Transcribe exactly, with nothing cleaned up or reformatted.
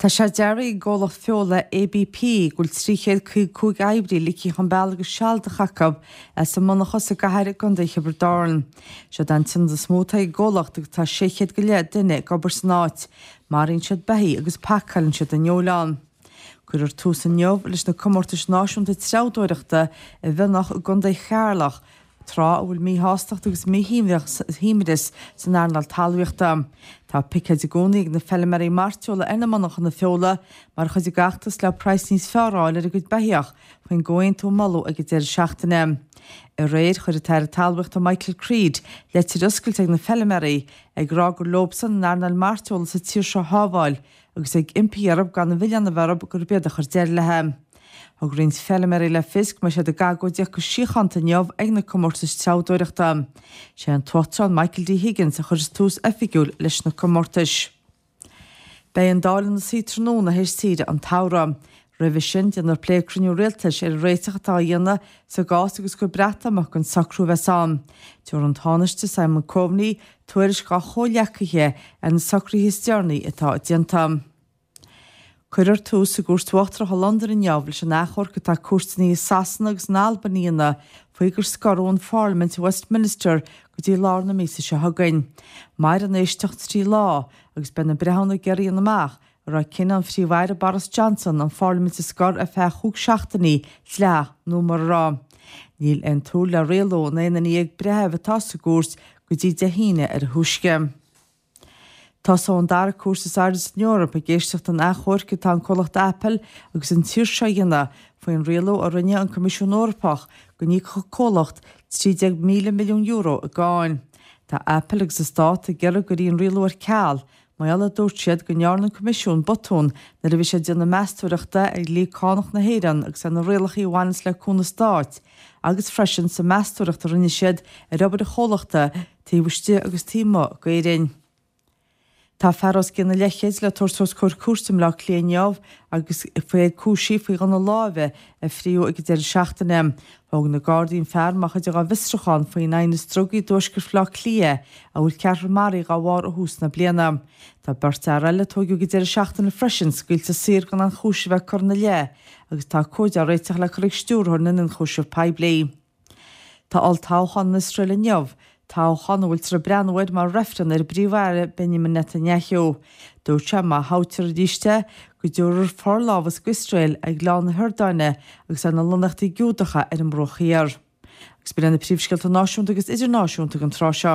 Tá sé dearbhaithe ag an gcomhlacht feola A B P go bhfuil trí chéad caoga cúig oibrí ligthe chun bealaigh go sealadach acu as a monarcha sa gcathair i gContae Thiobraid Árann. Seo an t-ionad is mó atá ag an gcomhlacht agus tá sé chéad go leith duine ag obair san áit. Maraíonn siad beithígh agus pacálann siad an fheoil ann. Cuirfear tús inniu leis na comórtais náisiúnta treabhdóireachta i bhFionnach i gContae Cheatharlach, tráth a bhfuil míshástacht agus míshuaimhneas san earnáil talmhaíochta. Tá picéid i gcónaí ag na feilméaraí mairteola ar na monarchana feola mar chuid dá bhfeachtas le praghas níos fearr a fháil ar a gcuid beithíoch faoin gcomhaontú a moladh ag an deireadh seachtaine. Aréir chuir an tAire Talmhaíochta Michael Creed leitir oscailte ag na feilméaraí ag rá gur leobsan an earnáil mairteola sa tír seo a shábháil agus ag impí orthu gan an mhilleán a bheith orthu gurb iad a chuir deireadh léi. Thug roinnt feilméaraí le fios go mbeidh siad ag agóidíocht go síochánta inniu ag na comórtais treabhdóireachta. Sé an tUachtarán Michael D. Higgins a chuir tús oifigiúil leis na comórtais. Beidh an Dáil ina suí tráthnóna théis saoire an tsamhraidh. Roimhe sin déanfar plé cruinniú rialtais ar an réiteach atá á dhéanamh sa gcás agus gur Breatimeacht an socrú a bheas ann. Tabharfaidh an Tánaiste Simon Coveney tuairisc dá chomhghleacaithe ar na socruithe is deireanaí atá déanta. Cuirfear tús i gCúirt Uachtarach i Londain inniu leis an achomharc atá cúirteanna i Sasana agus in Albain a dhéanamh faoi gur scoradh an Pharlaimint i Westminster go dtí lár na míosa seo chugainn. Mairfidh an éisteacht trí lá agus beidh na breithiúna ag iarraidh a dhéanamh amach an raibh cinneadh an Phríomh-Aire Boris Johnson an Pharlaimint a scor ar feadh chúig seachtainí dleathach nó mura raibh. Níl aon tsúil le rialú an aon duine dhéag breitheamh atá sa gcúirt go dtí Dé hAoine ar a thúisce. Tosóidh an dara cúirt is airde san Eoraip ag éisteacht an achomhairc atá an comhlacht Apple agus an tír seo a dhéanamh faoin rialú a rinne an Coimisiún Eorpach go n-íocfadh comhlacht trí déag míle milliún euro i gcáin. Tá Apple agus an stát ag iarraidh go gcuirfí an rialú ar ceal, mar gheall dúirt siad go ndearna an Coimisiún botún nuair a bhí sé ag déanamh meastóireachta ar dhlí cánach na hÉireann agus ar na rialacha a bhaineanns le cúnamh stáit, agus freisin sa meastóireacht a rinne siad ar obair an chomhlachta taobh istigh agus taobh amuigh d'Éirinn. Tá fear os cionn an leathchéid le tabhairt os comhair cúirte i mBleá Cliath inniu agus faoi cúisithe faoi ghunna láimhe a fríodh ag an deireadh seachtaine. Thóg na Gardaí an fear mar chuid dá bhfiosrúchán faoin aighneas drugaí i dtuaisceart Bhaile Átha Cliath a bhfuil ceathrar maraithe dá bharr ó thús na bliana. Tá beirt fhear eile a tógadh ag an deireadh seachtaine freisin scaoilte saor gan aon chúis a bheith curtha ina leith agus tá comhaid á réiteach le cur ag stiúrthóir na n-ionchúiseamh poiblí. Tá olltoghchán in Iosrael inniu, toghchán a bhfuiltear ag breathnú air mar reifreann ar an bPríomh-Aire Benjamin Netanyahu. Dúirt sé má thoghtar arís é go dtabharfar forlámhas d'Iosrael ar Ghleann na hIordáine agus ar na lonnaíochtaí Giúdacha ar an mBruach Thiar. Agus b'in na príomhscéalta náisiúnta agus idirnáisiúnta an tráth seo.